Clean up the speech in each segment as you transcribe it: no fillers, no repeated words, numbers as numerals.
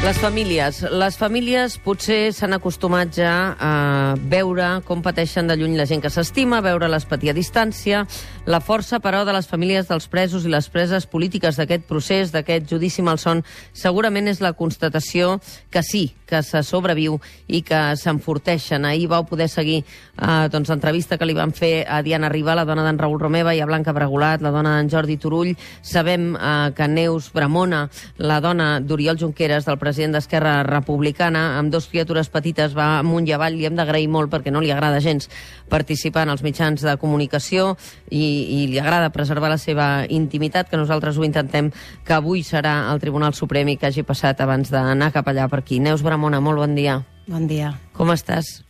Les famílies potser s'han acostumat ja a veure com pateixen de lluny la gent que s'estima, veure l'espatia a distància. La força, però, de les famílies dels presos i les preses polítiques d'aquest procés, d'aquest judici malson, segurament és la constatació que sí, que se sobreviu i que s'enforteixen. Ahir vau poder seguir l'entrevista que li van fer a Diana Riba, la dona d'en Raül Romeva, i a Blanca Bregolat, la dona d'en Jordi Turull. Sabem que Neus Bramona, la dona d'Oriol Junqueras, del president d'Esquerra Republicana, amb dos criatures petites, va amunt i avall. Li hem d'agrair molt perquè no li agrada gens participar en els mitjans de comunicació i li agrada preservar la seva intimitat, que nosaltres ho intentem, que avui serà el Tribunal Suprem i que hagi passat abans d'anar cap allà per aquí. Neus Bramona, molt bon dia. Bon dia. Com estàs?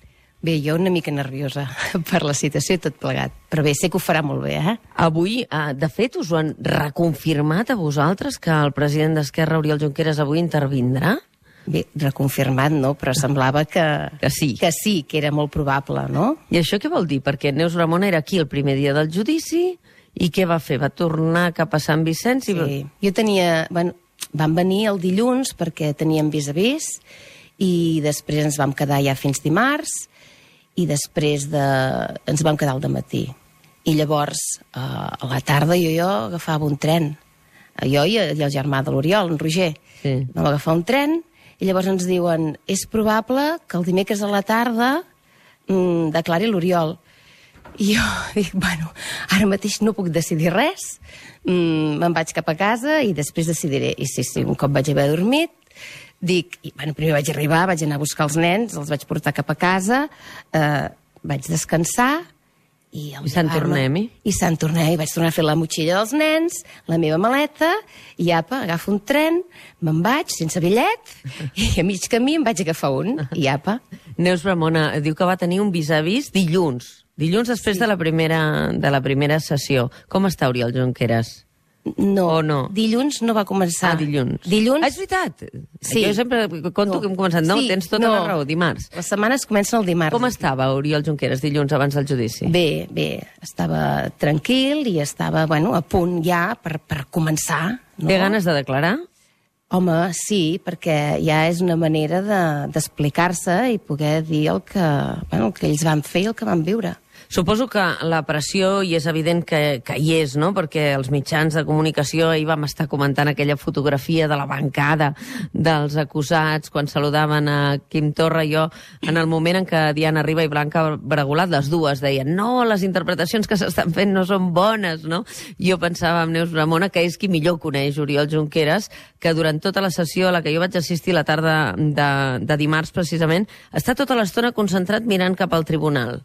Bé, jo una mica nerviosa per la situació i tot plegat, però bé, sé que ho farà molt bé, eh? Avui, de fet, us ho han reconfirmat a vosaltres que el president d'Esquerra, Oriol Junqueras, avui intervindrà? Bé, reconfirmat no, però semblava que sí, que era molt probable, no? I això què vol dir? Perquè Neus Bramona era aquí el primer dia del judici i què va fer? Va tornar cap a Sant Vicenç? Sí, jo tenia... Bueno, van venir el dilluns perquè teníem vis a vis i després ens vam quedar ja fins dimarts i després ens vam quedar al dematí. I llavors, a la tarda, jo agafava un tren. Jo i el germà de l'Oriol, en Roger. Sí. Vam agafar un tren i llavors ens diuen és probable que el dimecres a la tarda declari l'Oriol. I jo dic, bueno, ara mateix no puc decidir res, me'n vaig cap a casa i després decidiré. I sí, un cop vaig haver dormit, dic, primer vaig arribar, vaig anar a buscar els nens, els vaig portar cap a casa, vaig descansar i Sant Tornem-hi? I Sant Tornem-hi. Vaig tornar a fer la motxilla dels nens, la meva maleta, i apa, agafo un tren, me'n vaig sense bitllet, i a mig camí em vaig agafar un, i apa. Neus Bramona diu que va tenir un vis-a-vis dilluns després de la primera sessió. Com està Oriol Junqueras? No, o no? Dilluns no va començar. Dilluns. És veritat? Sí. Jo sempre conto que hem començat. No, tens tota la raó, dimarts. Les setmanes comencen el dimarts. Com estava Oriol Junqueras dilluns abans del judici? Bé, estava tranquil i estava, a punt ja per començar. No? Té ganes de declarar? Home, sí, perquè ja és una manera d'explicar-se i poder dir el que ells van fer i el que van viure. Suposo que la pressió, i és evident que hi és, no? Perquè els mitjans de comunicació ahir vam estar comentant aquella fotografia de la bancada dels acusats quan saludaven a Quim Torra i jo, en el moment en què Diana Riba i Blanca Bregolat, les dues, deien no, les interpretacions que s'estan fent no són bones, no? Jo pensava amb Neus Bramona que és qui millor coneix Oriol Junqueras, que durant tota la sessió a la que jo vaig assistir la tarda de dimarts precisament, està tota l'estona concentrat mirant cap al tribunal.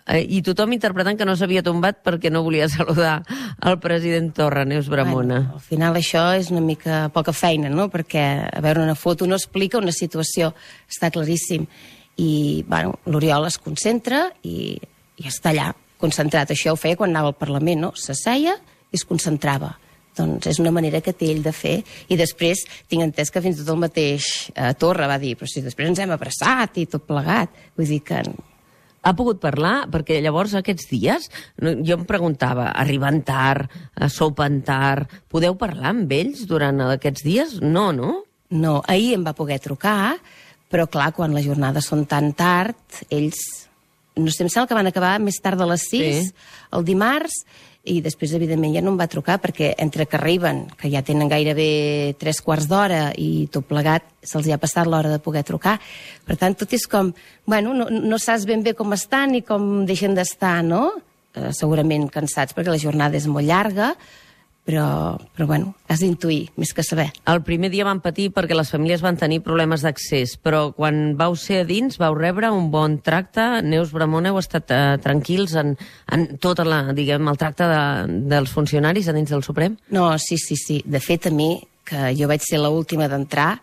I tothom interpretant que no s'havia tombat perquè no volia saludar el president Torra, Neus Bramona. Al final això és una mica poca feina, no? Perquè a veure una foto no explica una situació, està claríssim. I l'Oriol es concentra i està allà, concentrat. Això ho feia quan anava al Parlament, no? S'asseia i es concentrava. Doncs és una manera que té ell de fer. I després tinc entès que fins i tot el mateix Torra va dir, però si després ens hem abraçat i tot plegat. Vull dir que... Ha pogut parlar? Perquè llavors aquests dies, jo em preguntava, arriben tard, sopen tard, podeu parlar amb ells durant aquests dies? No, no? No, ahir em va poder trucar, però clar, quan les jornades són tan tard, ells, no sé, em sembla que van acabar més tard de les 6, el dimarts, i després, evidentment, ja no em va trucar perquè entre que arriben, que ja tenen gairebé 3/4 d'hora i tot plegat, se'ls ha passat l'hora de poder trucar. Per tant, tot és com... no saps ben bé com estan ni com deixen d'estar, no? Segurament cansats perquè la jornada és molt llarga, però has d'intuir, més que saber. El primer dia van patir perquè les famílies van tenir problemes d'accés, però quan vau ser a dins vau rebre un bon tracte. Neus Bramona, heu estat tranquils en tot el tracte dels funcionaris a dins del Suprem? No, sí. De fet, a mi, que jo vaig ser l'última d'entrar,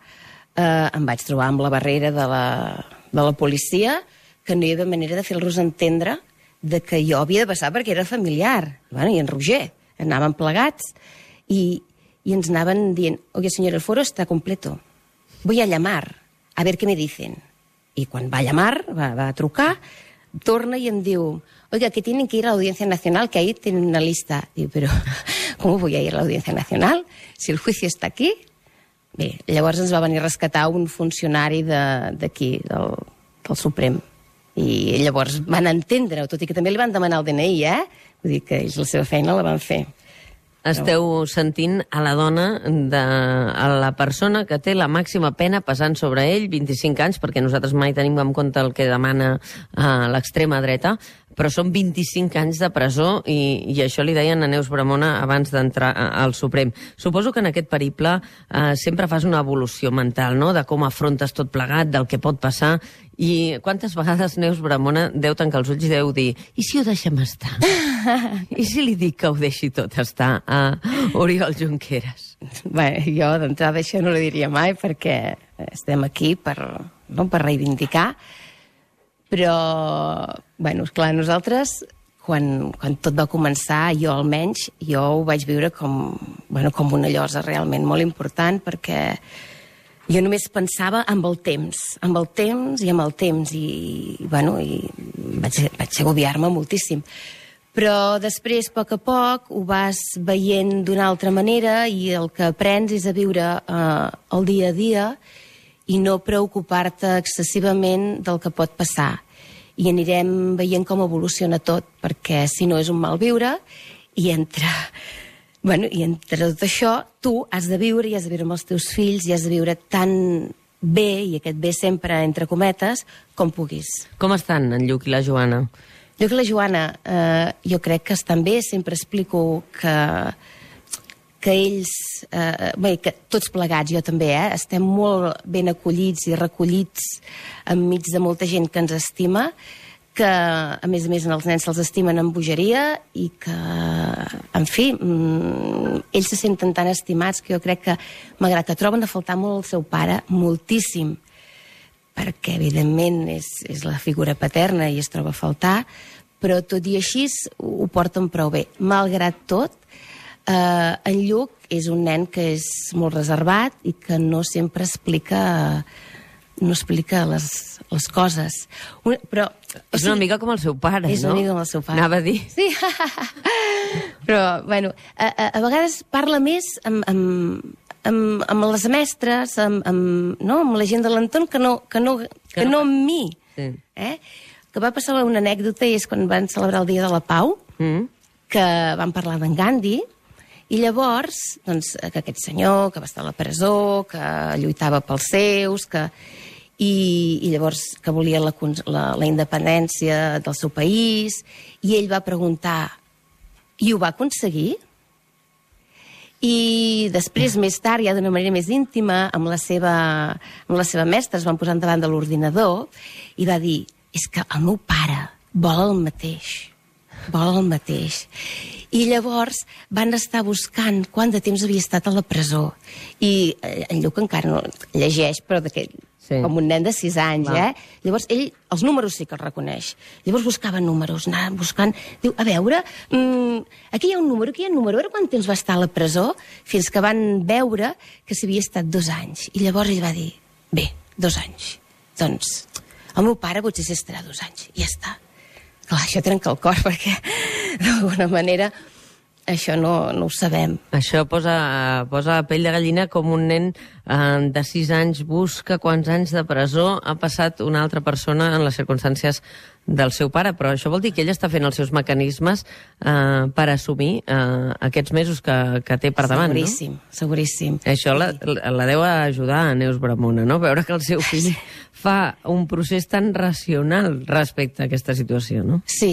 em vaig trobar amb la barrera de la policia, que no hi havia manera de fer-los entendre de que jo havia de passar perquè era familiar. I en Roger. Anàvem plegats i ens anaven dient, oye, señor, el foro está completo, voy a llamar, a ver qué me dicen. I quan va a llamar, va a trucar, torna i em diu, oiga, que tienen que ir a la Audiencia Nacional, que ahí tienen una lista. Digo, pero, ¿cómo voy a ir a la Audiencia Nacional? Si el juicio está aquí. Bé, llavors ens va venir a rescatar un funcionari d'aquí, del Suprem. I llavors van entendre-ho, tot i que també li van demanar el DNI, Vull dir que ells la seva feina la van fer. Esteu sentint a la dona, a la persona que té la màxima pena pesant sobre ell, 25 anys, perquè nosaltres mai tenim en compte el que demana l'extrema dreta, però són 25 anys de presó i això li deien a Neus Bramona abans d'entrar al Suprem. Suposo que en aquest periple sempre fas una evolució mental, no?, de com afrontes tot plegat, del que pot passar. I quantes vegades Neus Bramona deu tancar els ulls i deu dir i si ho deixem estar? I si li dic que ho deixi tot estar a Oriol Junqueras? Bé, jo d'entrada això no li diria mai perquè estem aquí per reivindicar, però, bueno, esclar, nosaltres, quan tot va començar, jo almenys, jo ho vaig viure com una llosa realment molt important, perquè jo només pensava amb el temps, i vaig agobiar-me moltíssim. Però després, a poc, ho vas veient d'una altra manera i el que aprens és a viure el dia a dia i no preocupar-te excessivament del que pot passar. I anirem veient com evoluciona tot, perquè si no és un mal viure, i entre tot això tu has de viure amb els teus fills i has de viure tan bé, i aquest bé sempre entre cometes, com puguis. Com estan en Lluc i la Joana? Lluc i la Joana, jo crec que estan bé. Sempre explico que ells, que tots plegats, jo també, estem molt ben acollits i recollits enmig de molta gent que ens estima, que, a més, els nens se'ls estimen amb bogeria i que, en fi, ells se senten tan estimats que jo crec que, malgrat que troben a faltar molt el seu pare, moltíssim, perquè, evidentment, és la figura paterna i es troba a faltar, però tot i així ho porten prou bé. Malgrat tot, en Lluc és un nen que és molt reservat i que no sempre explica les coses. Però, és una mica com el seu pare, no? És una mica com el seu pare. Anava a dir. Sí. Però, bueno, a vegades parla més amb les mestres, amb la gent de l'entorn, que no amb mi. Sí. Que va passar una anècdota, i és quan van celebrar el Dia de la Pau, que van parlar d'en Gandhi, i llavors, doncs, que aquest senyor que va estar a la presó, que lluitava pels seus, i llavors que volia la independència del seu país, i ell va preguntar, i ho va aconseguir? I després, més tard, ja d'una manera més íntima, amb la seva mestra, es van posar davant de l'ordinador i va dir, és que el meu pare vol el mateix. I llavors van estar buscant quant de temps havia estat a la presó. I en Lluc encara no llegeix, però com un nen de 6 anys, Llavors ell els números sí que els reconeix. Llavors buscava números, anava buscant, diu, a veure, aquí hi ha un número, a veure quant temps va estar a la presó, fins que van veure que s'havia estat 2 anys. I llavors ell va dir, bé, 2 anys. Doncs el meu pare potser s'hi estarà 2 anys, i ja està. Clar, això trenca el cor, perquè d'alguna manera això no ho sabem. Això posa la pell de gallina, com un nen de 6 anys busca quants anys de presó ha passat una altra persona en les circumstàncies del seu pare, però això vol dir que ell està fent els seus mecanismes per assumir aquests mesos que té per davant, no? Seguríssim. Això la deu ajudar a Neus Bramona, no? Veure que el seu fill fa un procés tan racional respecte a aquesta situació, no? Sí.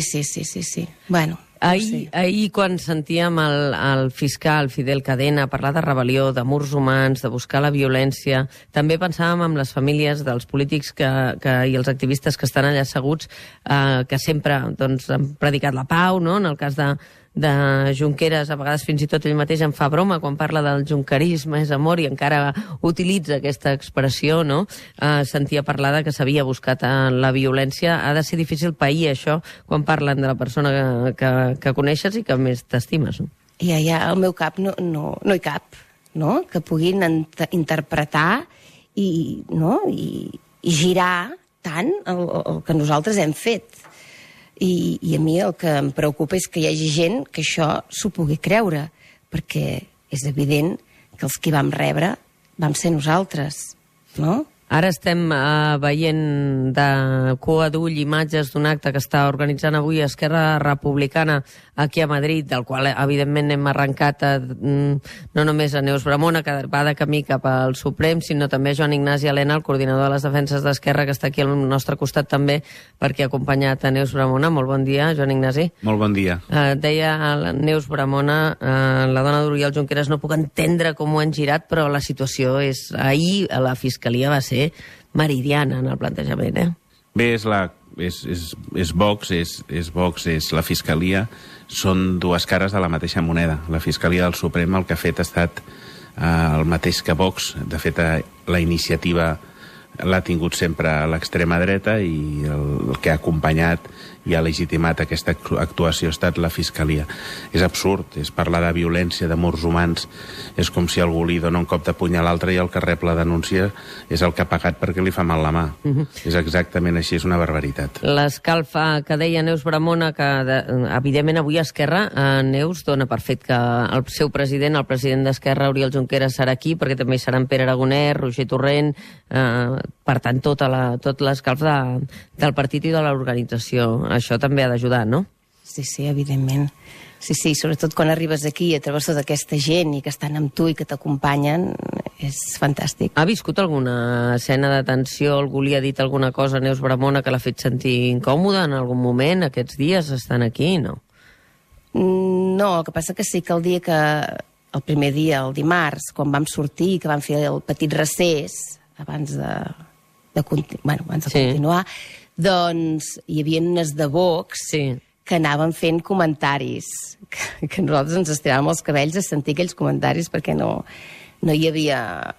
Bueno, Ahir, quan sentíem el fiscal Fidel Cadena parlar de rebel·lió, de murs humans, de buscar la violència, també pensàvem en les famílies dels polítics i els activistes que estan allà asseguts, que sempre han predicat la pau, no? En el cas de Junqueras, a vegades fins i tot ell mateix en fa broma quan parla del junquerisme és amor i encara utilitza aquesta expressió, no? Sentia parlar que s'havia buscat la violència. Ha de ser difícil pair això quan parlen de la persona que coneixes i que més t'estimes, no? Ja, al meu cap no hi cap, no? Que puguin interpretar i girar tant el que nosaltres hem fet. I a mi el que em preocupa és que hi hagi gent que això s'ho pugui creure, perquè és evident que els que vam rebre vam ser nosaltres, no? Ara estem veient de cua d'ull imatges d'un acte que està organitzant avui Esquerra Republicana aquí a Madrid, del qual evidentment hem arrencat no només a Neus Bramona, que va de camí cap al Suprem, sinó també a Joan Ignasi Elena, el coordinador de les defenses d'Esquerra, que està aquí al nostre costat també, perquè ha acompanyat a Neus Bramona. Molt bon dia, Joan Ignasi. Molt bon dia. Deia la Neus Bramona, la dona d'Oriol Junqueras, no puc entendre com ho han girat, però la situació és... Ahir a la Fiscalia va ser meridiana en el plantejament, Bé, és Vox, és la Fiscalia, són dues cares de la mateixa moneda. La Fiscalia del Suprem el que ha fet ha estat el mateix que Vox. De fet, la iniciativa l'ha tingut sempre a l'extrema dreta i el que ha acompanyat i ha legitimat aquesta actuació ha estat la Fiscalia. És absurd, és parlar de violència, de morts humans, és com si algú li dona un cop de puny a l'altre i el que rep la denúncia és el que ha pagat perquè li fa mal la mà. És exactament així, és una barbaritat. L'escalfa que deia Neus Bramona, que evidentment avui Esquerra, Neus, dona per fet que el seu president, el president d'Esquerra, Oriol Junqueras, serà aquí, perquè també hi seran Pere Aragonès, Roger Torrent, per tant, tot l'escalf del partit i de l'organització. Això també ha d'ajudar, no? Sí, evidentment. Sí, sobretot quan arribes aquí i et trobes tota aquesta gent i que estan amb tu i que t'acompanyen, és fantàstic. Ha viscut alguna escena de tensió? Algú li ha dit alguna cosa a Neus Bramona que l'ha fet sentir incòmoda en algun moment? Aquests dies estan aquí, no? No, el que passa que sí que el dia que... El primer dia, el dimarts, quan vam sortir, que vam fer el petit recés, abans de continuar, doncs hi havia unes de Vox que anaven fent comentaris, que nosaltres ens estiràvem els cabells a sentir aquells comentaris perquè no hi havia...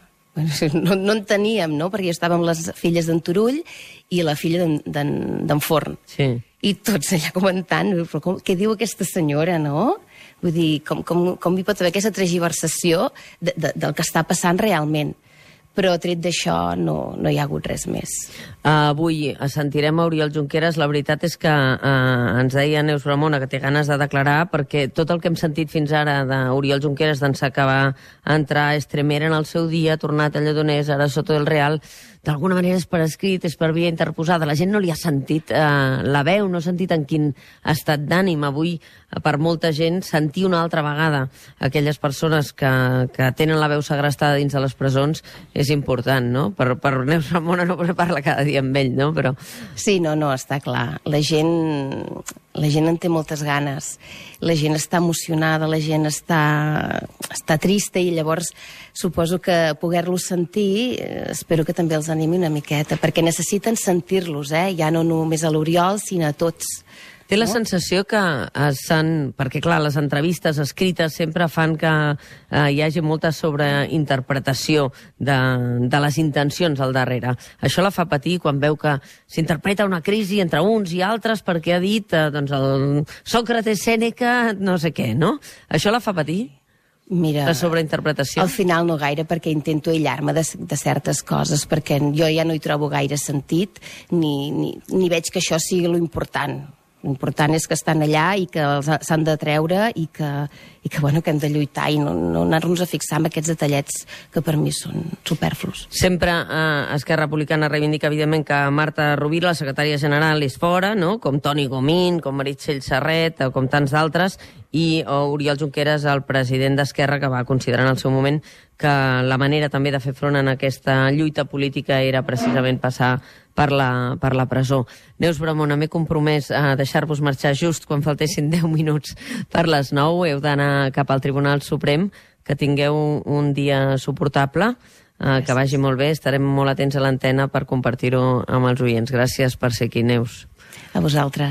No en teníem, no? Perquè estàvem les filles d'en Turull i la filla d'en Forn. Sí. I tots allà comentant, però què diu aquesta senyora, no? Vull dir, com hi pot haver aquesta tergiversació del que està passant realment? Però tret d'això no hi ha hagut res més. Avui sentirem a Oriol Junqueras. La veritat és que ens deia Neus Bramona que té ganes de declarar, perquè tot el que hem sentit fins ara d'Oriol Junqueras d'ençà que va entrar a Extremera en el seu dia, ha tornat a Lledoners, ara Soto del Real, d'alguna manera és per escrit, és per via interposada. La gent no li ha sentit la veu, no ha sentit en quin estat d'ànim. Avui, per molta gent, sentir una altra vegada aquelles persones que tenen la veu segrestada dins de les presons és important, no? Per Neus Bramona no parla cada dia amb ell, no? Però... Sí, no, està clar. La gent en té moltes ganes. La gent està emocionada, la gent està trista i llavors suposo que poder-los sentir espero que també els animi una miqueta, perquè necessiten sentir-los, ja no només a l'Oriol, sinó a tots. Té la sensació que perquè clar, les entrevistes escrites sempre fan que hi hagi molta sobreinterpretació de les intencions al darrere. Això la fa patir quan veu que s'interpreta una crisi entre uns i altres perquè ha dit el Sòcrates, Sèneca, no sé què, no? Això la fa patir? Mira, la sobreinterpretació? Al final no gaire, perquè intento aïllar-me de certes coses, perquè jo ja no hi trobo gaire sentit, ni veig que això sigui lo important. L'important és que estan allà i que s'han de treure i que hem de lluitar i no anar-nos a fixar en aquests detallets que per mi són superflus. Sempre Esquerra Republicana reivindica, evidentment, que Marta Rovira, la secretària general, és fora, no? Com Toni Comín, com Meritxell Serret, o com tants d'altres, i Oriol Junqueras, el president d'Esquerra, que va considerar en el seu moment que la manera també de fer front en aquesta lluita política era precisament passar per la presó. Neus Bramona, m'he compromès a deixar-vos marxar just quan faltessin 10 minuts per les 9. Heu d'anar cap al Tribunal Suprem. Que tingueu un dia suportable, que vagi molt bé. Estarem molt atents a l'antena per compartir-ho amb els oients. Gràcies per ser aquí, Neus. A vosaltres.